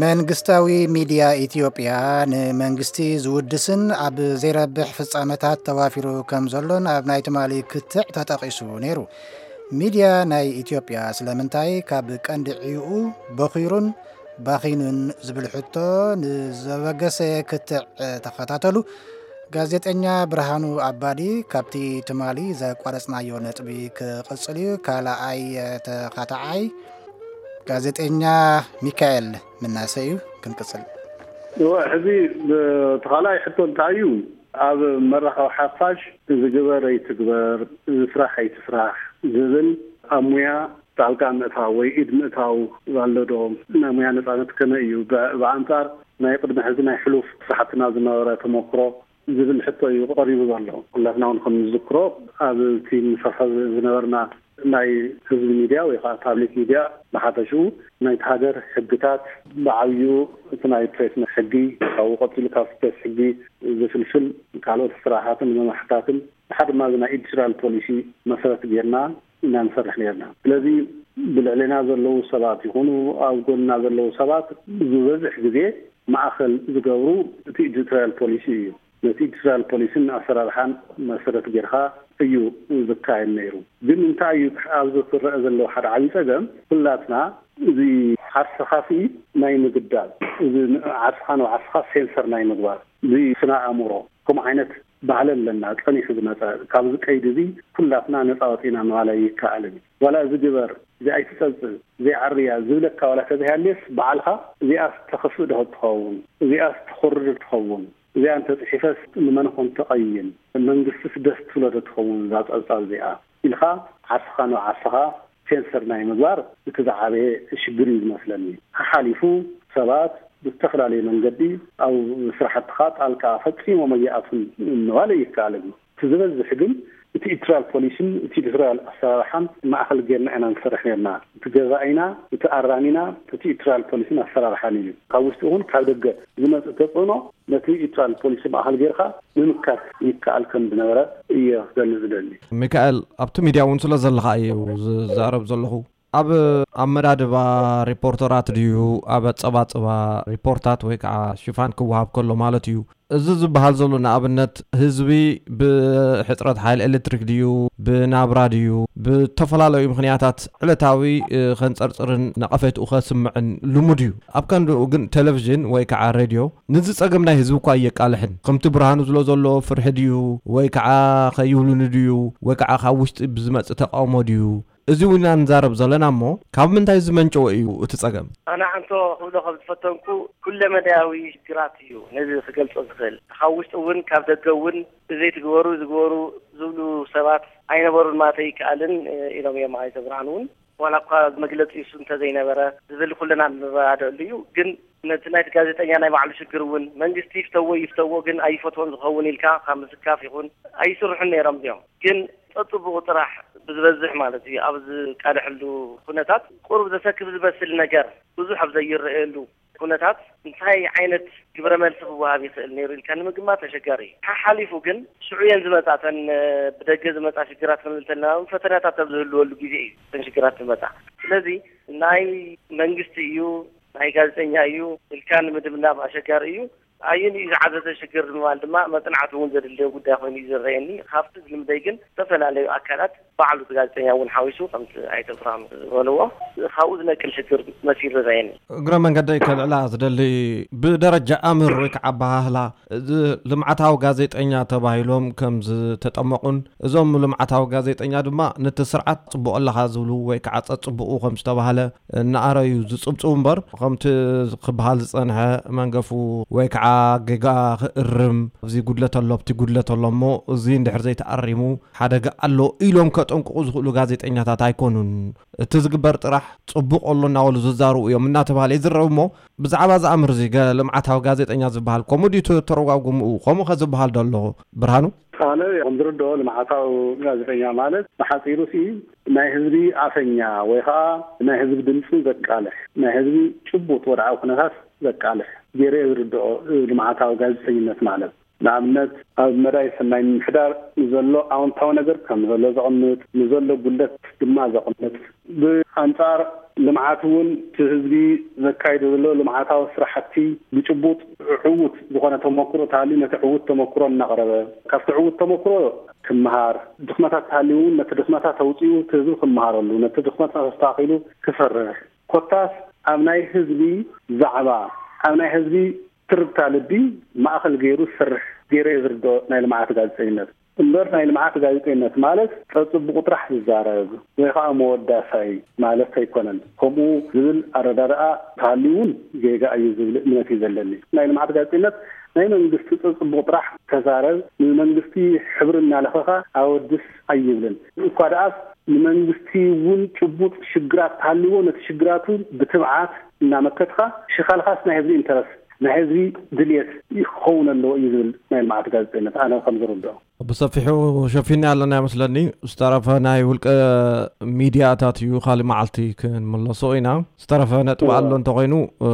መንግስታዊ ሚድያ ኢትዮጵያ ንመንግስቲ ዝውድስን ኣብ ዘይረብሕ ፍጻመታት ተዋፊሩ ከም ዘሎን ኣብ ናይ ትማሊ ክትዕ ተጠቒሱ ነይሩ። ሚድያ ናይ ኢትዮጵያ ስለምንታይ ካብ ቀንዲ ዕዩኡ በኺሩን ባኺኑን ዝብል ሕቶ ንዘበገሰ ክትዕ ተኸታተሉ። ጋዜጠኛ ብርሃኑ ኣባዲ ካብቲ ትማሊ ዘቋረጽናዮ ነጥቢ ክቕጽል እዩ። ካልኣይ ተኻታዓይ ጋዜጠኛ ሚካኤል ምናሰ እዩ። ክንቅጽል። እወ፣ ሕዚ እቲ ካልኣይ ሕቶ እንታይ እዩ? ኣብ መራኸቢ ሓፋሽ ዝግበር ኣይትግበር፣ ዝስራሕ ኣይትስራሕ ዝብል ኣብ ሙያ ጣልቃ ምእታው ወይ ኢድ ምእታው ኣሎ ዶ? ናይ ሙያ ነጻነት ከመይ እዩ? ብ-፣ ብኣንጻር ናይ ቅድሚ ሕዚ ናይ ሕሉፍ ስራሕትና ዝነበረ ተመክሮ ዝብል ሕቶ እዩ ቀሪቡ ዘሎ። ኩላትና እውን ከም ንዝክሮ ኣብቲ ንሰርሖ ዝነበርና ናይ ህዝቢ ሚድያ ወይ ከዓ ፓብሊክ ሚድያ ብሓፈሽኡ ናይቲ ሃገር ሕግታት ብዓብዩ እቲ ናይ ፕሬስ ሕጊ ካብኡ ቀፂሉ ካብ ፕሬስ ሕጊ ዝፍልፍል ካልኦት ስራሓትን መማሕታትን ብሓደ ድማ እዚ ናይ ኤዲቶሪያል ፖሊሲ መሰረት ጌርና ኢና ንሰርሕ ነርና። ስለዚ ብልዕሌና ዘለዉ ሰባት ይኹኑ ኣብ ጎንና ዘለዉ ሰባት ዝበዝሕ ግዜ ማእኸል ዝገብሩ እቲ ኤዲቶሪያል ፖሊሲ እዩ። ነቲ ኤዲቶሪያል ፖሊሲን ኣሰራርሓን መሰረት ጌርካ እዩ ዝካየድ ነይሩ። ግን እንታይ እዩ ኣብዚ ክረአ ዘለዎ ሓደ ዓብዪ ፀገም? ኩላትና እዚ ዓርስኻሲ ናይ ምግዳል፣ እዚ ዓርስኻ ንዓርስኻ ሴንሰር ናይ ምግባር፣ እዚ ስነ ኣእምሮ፣ ከምኡ ዓይነት ባህሊ ኣለና፣ ጸኒሑ ዝመጸ። ካብዚ ቀይዲ እዚ ኩላትና ነጻ ወጺእና ምባል ኣይከኣልን። ዋላ እዚ ግበር፣ እዚ ኣይትጸብጽብ፣ እዚ ዓርያ ዝብለካ ዋላ ተዘይሃልየስ፣ ባዕልኻ እዚኣስ ተኽፍእ ዶ ትኸውን? እዚኣስ ትኹርር ትኸውን? እዚኣ እንተጽሒፈስ ንመን ኮን ትቐይም? መንግስትስ ደስ ትብሎ ዶ ትኸውን እዛ ጸብጻብ እዚኣ? ኢልካ ዓርስኻ ንዓርስኻ ሴንሰር ናይ ምግባር እቲ ዝዓበየ ሽግር እዩ ዝመስለኒ። ሓሓሊፉ ሰባት ብዝተፈላለየ መንገዲ ኣብ ስራሕትኻ ጣልቃ ፈጺሞም ኣይኣቱን ምባል ኣይከኣልን። እቲ ዝበዝሕ ግን እቲ ኤዲቶሪያል ፖሊሲን እቲ ኤዲቶሪያል ኣሰራርሓን ማእኸል ጌርና ኢና ንሰርሕ ኔርና። እቲ ገዛኢና፣ እቲ ኣራሚና እቲ ኤዲቶሪያል ፖሊሲን ኣሰራርሓን እዩ። ካብ ውሽጢ ይኹን ካብ ደገ ዝመጽእ ተጽዕኖ ነቲ ኤዲቶሪያል ፖሊሲ ማእኸል ጌርካ ምምካት ይከኣል ከም ዝነበረ እየ ክገልጽ ዝደሊ። ሚካኤል፣ ኣብቲ ሚድያ እውን ስለ ዘለኻ እዩ ዝዛረብ ዘለኹ። ኣብ ኣመዳድባ ሪፖርተራት ድዩ፣ ኣብ ኣጸባጽባ ሪፖርታት ወይ ከዓ ሽፋን ክወሃብ ከሎ ማለት እዩ፣ እዚ ዝበሃል ዘሎ ንኣብነት ህዝቢ ብሕጽረት ሓይሊ ኤሌክትሪክ ድዩ፣ ብናብራ ድዩ፣ ብተፈላለዩ ምኽንያታት ዕለታዊ፣ እ፣ ከንጸርጽርን ነቐፌትኡ ከስምዕን ልሙድ እዩ። ኣብ ቀንድኡ ግን ቴሌቪዥን ወይ ከዓ ሬድዮ ነዚ ጸገም ናይ ህዝቢ እኳ እየቃልሕን። ከምቲ ብርሃኑ ዝብሎ ዘሎ ፍርሒ ድዩ፣ ወይ ከዓ ከይብሉኒ ድዩ፣ ወይ ከዓ ካብ ውሽጢ ብዝመጽእ ተቃውሞ ድዩ? እዚ እውን ኢና ንዛረብ ዘለና እሞ፣ ካብ ምንታይ ዝመንጨወ እዩ እቲ ጸገም? ኣነ ሓንቶ ክብሎ ከም ዝፈተንኩ፣ ኩለመዳያዊ ሽግራት እዩ ነዚ ክገልጾ ዝኽእል። ካብ ውሽጢ እውን ካብ ደገ እውን ብዘይ ትግበሩ ዝግበሩ ዝብሉ ሰባት ኣይነበሩን ማለት ኣይከኣልን፣ እ፣ ኢሎም እዮም ኣይተ ብርሃኑ እውን። ዋላ እኳ መግለጺ እሱ እንተዘይነበረ ዝብል ኩልና ንረዳደኣሉ እዩ። ግን ነቲ ናይቲ ጋዜጠኛ ናይ ባዕሉ ሽግር እውን መንግስቲ ይፍተዎ ይፍተዎ ግን ኣይፈትዎን ዝኸውን ኢልካ ካብ ምስካፍ ይኹን ኣይስርሑን ነይሮም እዮም። ግን ጸጽቡቑ ጥራሕ ብዝበዝሕ ማለት እዩ ኣብ ዝቃልሐሉ ኩነታት ቁሩብ ዘሰክፍ ዝመስል ነገር ብዙሕ ኣብ ዘይረኣየሉ ኩነታት እንታይ ዓይነት ግብረ መልሲ ክወሃብ ይኽእል ነይሩ ኢልካ ንምግማት ኣሸጋሪ እዩ። ሓሓሊፉ ግን ሽዑ እየን ዝመጻ እተን፣ እ፣ ብደገ ዝመጻ ሽግራት ክንብል እንተለና እውን ፈተናታት ኣብ ዝህልወሉ ግዜ እዩ እተን ሽግራት ዝመጻ። ስለዚ ናይ መንግስቲ እዩ ናይ ጋዜጠኛ እዩ ኢልካ ንምድምዳም ኣሸጋሪ እዩ። ኣየን እዩ ዝዓዘዘ ሽግር ንምባል ድማ መጽናዕቲ እውን ዘድልዮ ጉዳይ ኮይኑ እዩ ዝረኣየኒ። ካብቲ ዝልምደይ ግን ዝተፈላለዩ ኣካላት ባዕሉ እቲ ጋዜጠኛ እውን ሓዊሱ ከምቲ ኣይተ ብርሃኑ ዝበልዎ ካብኡ ዝነቅል ሽግር መሲሉ ይረኣየኒ። እግረ መንገደይ ከልዕላ ዝደሊ ብደረጃ ኣምር ወይ ከዓ ኣበሃህላ እዚ ልምዓታዊ ጋዜጠኛ ተባሂሎም ከም ዝተጠመቑን እዞም ልምዓታዊ ጋዜጠኛ ድማ ነቲ ስርዓት ጽቡቕ ኣለኻ ዝብሉ ወይ ከዓ ጸጽቡቑ ከም ዝተባህለ እናኣረዩ ዝጽብጽቡ እምበር፣ ከምቲ ክበሃል ዝጸንሐ መንገፉ ወይ ከዓ ጌጋ ክእርም፣ ኣብዚ ጉድለት ኣሎ፣ ኣብቲ ጉድለት ኣሎ እሞ እዚ እንድሕር ዘይተኣሪሙ ሓደጋ ኣሎ ኢሎም ከጠንቅቑ ዝኽእሉ ጋዜጠኛታት ኣይኮኑን። እቲ ዝግበር ጥራሕ ጽቡቕ ኣሎ እናበሉ ዝዛረቡ እዮም እናተባህለ ይዝረብ እሞ፣ ብዛዕባ እዚ ኣምር እዚ ገ-፣ ልምዓታዊ ጋዜጠኛ ዝበሃል ከምኡ ድዩ ተ-፣ ተረጓጉምኡ? ከምኡ ከ ዝበሃል ዶ ኣሎ ብርሃኑ? ኣነ ከም ዝርድኦ ልምዓታዊ ጋዜጠኛ ማለት ብሓፂሩ ሲ ናይ ህዝቢ ኣፈኛ ወይ ከዓ ናይ ህዝቢ ድምፂ ዘቃልሕ፣ ናይ ህዝቢ ጭቡጥ ወድዓዊ ኩነታት ዘቃልሕ ገይረ እየ ዝርድኦ ልምዓታዊ ጋዜጠኝነት ማለት። ንኣብነት ኣብ መዳይ ሰናይ ምምሕዳር ንዘሎ ኣወንታዊ ነገር ከም ዘሎ ዘቕምጥ፣ ንዘሎ ጉድለት ድማ ዘቕምጥ፣ ብኣንፃር ልምዓት እውን እቲ ህዝቢ ዘካይዶ ዘሎ ልምዓታዊ ስራሕቲ ብጭቡጥ ዕዉት ዝኾነ ተመክሮ ተሃልዩ ነቲ ዕዉት ተመክሮ እናቕረበ ካብቲ ዕዉት ተመክሮ ክምሃር፣ ድኽመታት ተሃልዩ እውን ነቲ ድኽመታት ኣውፂኡ እቲ ህዝቢ ክምሃረሉ፣ ነቲ ድኽመታት ኣስተኻኺሉ ክሰርሕ፣ ኮታስ ኣብ ናይ ህዝቢ ዛዕባ፣ ኣብ ናይ ህዝቢ ትርታ ልቢ ማእኸል ገይሩ ዝሰርሕ ገይረ እየ ዝርድኦ ናይ ልምዓት ጋዜጠኝነት። እምበር ናይ ልምዓት ጋዜጠይነት ማለት ጸጽቡቑ ጥራሕ ዝዛረብ ወይ ከዓ መወዳሳይ ማለት ኣይኮነን። ከምኡ ዝብል ኣረዳድኣ ተሃልዩ እውን ጌጋ እዩ ዝብል እምነት እዩ ዘለኒ። ናይ ልምዓት ጋዜጠይነት ናይ መንግስቲ ጸጽቡቑ ጥራሕ ተዛረብ፣ ንመንግስቲ ሕብሪ እናለኸኻ ኣወድስ ኣይብልን። እኳ ደኣስ ንመንግስቲ እውን ጭቡጥ ሽግራት ተሃልዎ ነቲ ሽግራቱ ብትብዓት እናመከትካ ሽኻልኻስ ናይ ህዝቢ ኢንተረስ ናይ ህዝቢ ድልየት ክኸውን ኣለዎ እዩ ዝብል ናይ ልምዓት ጋዜጠይነት ኣነ ከም ዝርድኦ። ብሰፊሑ ሸፊና ኣለና ይመስለኒ። ዝተረፈ ናይ ውልቀ ሚድያታት እዩ፣ ካልእ መዓልቲ ክንምለሶ ኢና። ዝተረፈ ነጥቢ እወ። ኣሎ እንተኾይኑ፣ እ፣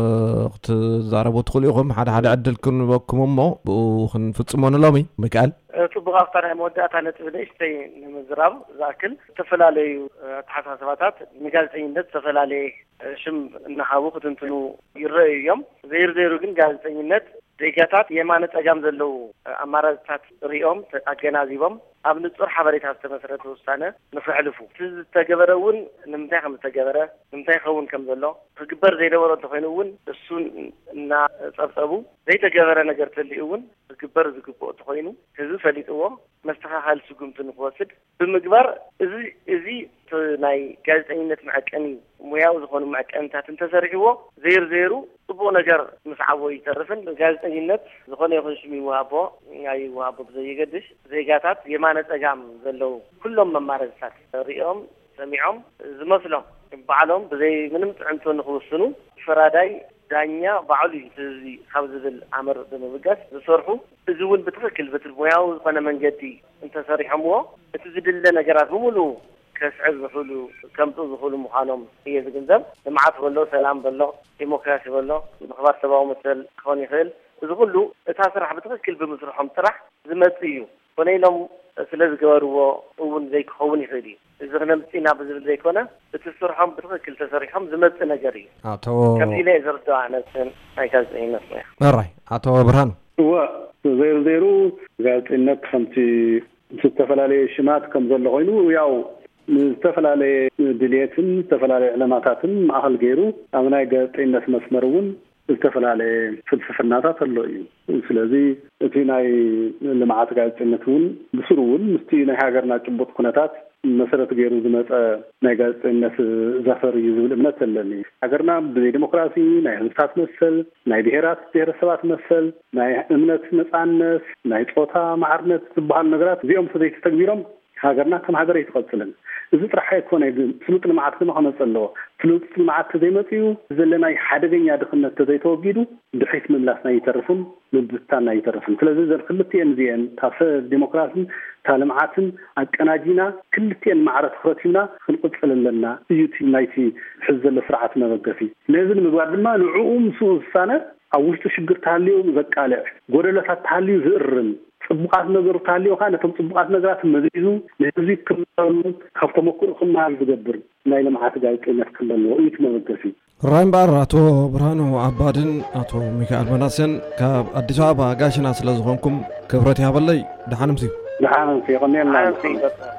ክትዛረቡ ትኽእሉ ኢኹም። ሓደ ሓደ ዕድል ክንበኩም እሞ ብኡ ክንፍጽሞ ንሎሚ። ሚካኤል። እ፣ ጽቡቕ፣ ኣብታ ናይ መወዳእታ ነጥቢ ንእሽተይ ንምዝራብ ዝኣክል፣ ዝተፈላለዩ፣ እ፣ ኣተሓሳስባታት ንጋዜጠኝነት ዝተፈላለየ፣ እ፣ ሽም እናሃቡ ክትንትኑ ይረኣዩ እዮም። ዘይሩ ዘይሩ ግን ጋዜጠኝነት ዜጋታት የማነ ጸጋም ዘለዉ ኣማራጽታት ሪኦም ተ-፣ ኣገናዚቦም ኣብ ንጹር ሓበሬታ ዝተመስረተ ውሳነ ንኸሕልፉ። እቲ ዝተገበረ እውን ንምንታይ ከም ዝተገበረ፣ ንምንታይ ክኸውን ከም ዘሎ፣ ክግበር ዘይነበሮ እንተኾይኑ እውን እሱ እናጸብጸቡ፣ ዘይተገበረ ነገር ተልዩ እውን ክግበር ዝግብኦ እንተኾይኑ ህዝቢ ፈሊጥዎ መስተኻኸሊ ስጉምቲ ንክወስድ ብምግባር፣ እዚ፣ እዚ እቲ ናይ ጋዜጠኝነት መዐቀኒ፣ ሙያዊ ዝኾኑ መዐቀኒታት እንተሰሪሕዎ፣ ዘይሩ ዘይሩ ጽቡቕ ነገር ምስ ዓቦ ይተርፍን ጋዜጠኝነት ዝኾነ ይኹን ሽም ይወሃቦ ኣይወሃቦ ብዘየገድሽ፣ ዜጋታት የማነ ጸጋም ዘለዉ ኩሎም መማረፅታት ሪኦም ሰሚዖም ዝመስሎም ባዕሎም ብዘይ ምንም ጥዕንቶ ንክውስኑ ፈራዳይ ዳኛ ባዕሉ እዩ እቲ ህዝቢ ካብ ዝብል ኣምር ብምብጋስ ዝሰርሑ፣ እዚ እውን ብትኽክል በቲ ሙያዊ ዝኾነ መንገዲ እንተሰሪሖምዎ፣ እቲ ዝድለ ነገራት ብምሉኡ ከስዕብ ዝኽእሉ፣ ከምፅኡ ዝኽእሉ ምዃኖም እየ ዝግንዘብ። ልምዓት በሎ፣ ሰላም በሎ፣ ዲሞክራሲ በሎ፣ ምኽባር ሰብኣዊ መሰል ክኾን ይኽእል። እዚ ኩሉ እታ ስራሕ ብትኽክል ብምስርሖም ጥራሕ ዝመጽእ እዩ። ኮነ ኢሎም ስለ ዝገበርዎ እውን ዘይክኸውን ይኽእል እዩ። እዚ ክነምጽእ ኢና ብዝብል ዘይኮነ፣ እቲ ስርሖም ብትኽክል ተሰሪሖም ዝመጽእ ነገር እዩ። ኣቶ ከምዚ ኢለ እየ ዝርድኦ ኣነ፣ እቲ ናይ ጋዜጠኝነት ሞያ። ሕራይ፣ ኣቶ ብርሃኑ። እወ፣ ዘይሩ ዘይሩ ጋዜጠኝነት ከምቲ ምስ ዝተፈላለየ ሽማት ከም ዘሎ ኮይኑ፣ ያው ንዝተፈላለየ ድልየትን ዝተፈላለየ ዕለማታትን ማእኸል ገይሩ ኣብ ናይ ጋዜጠኝነት መስመር እውን ዝተፈላለየ ፍልስፍናታት ኣሎ እዩ። ስለዚ እቲ ናይ ልምዓት ጋዜጠኝነት እውን ብስሩ እውን ምስቲ ናይ ሃገርና ጭቡጥ ኩነታት መሰረት ገይሩ ዝመፀ ናይ ጋዜጠኝነት ዘፈር እዩ ዝብል እምነት ኣለኒ። ሃገርና ብዘይ ዲሞክራሲ፣ ናይ ህዝብታት መሰል፣ ናይ ብሔራት ብሔረሰባት መሰል፣ ናይ እምነት ነፃነት፣ ናይ ፆታ ማዕርነት ዝበሃሉ ነገራት እዚኦም ተዘይተተግቢሮም ሃገርና ከም ሃገር ኣይትቐፅልን። እዚ ጥራሕ ኣይኮነ ግን ስሉጥ ልምዓት ድማ ክመፅእ ኣለዎ። ስሉጥ ልምዓት ተዘይመፅኡ ዘለናይ ሓደገኛ ድኽነት ተዘይተወጊዱ ድሕሪት ምምላስና ይተርፍን ምብትታንና ይተርፍን። ስለዚ እዘን ክልቲኤን እዚኤን እታ ሰ-፣ ዲሞክራስን እታ ልምዓትን ኣቀናጂና ክልቲኤን ማዕረ ትኹረት ሂብና ክንቕፅል ኣለና እዩ እቲ ናይቲ ሕዚ ዘሎ ስርዓት መበገሲ። ነዚ ንምግባር ድማ ንዕኡ ምስኡ ዝሳነ ኣብ ውሽጡ ሽግር ተሃልዩ ዘቃልዕ፣ ጎደሎታት ተሃልዩ ዝእርም፣ ጽቡቓት ነገሩ ተሃልዩ ከኣ ነቶም ጽቡቓት ነገራት መዚዙ ንህዝቢ ክመሃረሉ ካብ ተመክሮ ክመሃር ዝገብር ናይ ልምዓት ጋዜጠኝነት ክህሉ ኣለዎ እዩ እቲ መበገሲ። ራይ እምበኣር ኣቶ ብርሃኑ ኣባድን ኣቶ ሚካኤል መናስን ካብ ኣዲስ ኣበባ ጋሽና ስለ ዝኾንኩም ክብረት ይሃበለይ። ደሓን ምሲ። ደሓን ምሲ፣ የቐንየልና። ደሓን ምሲ።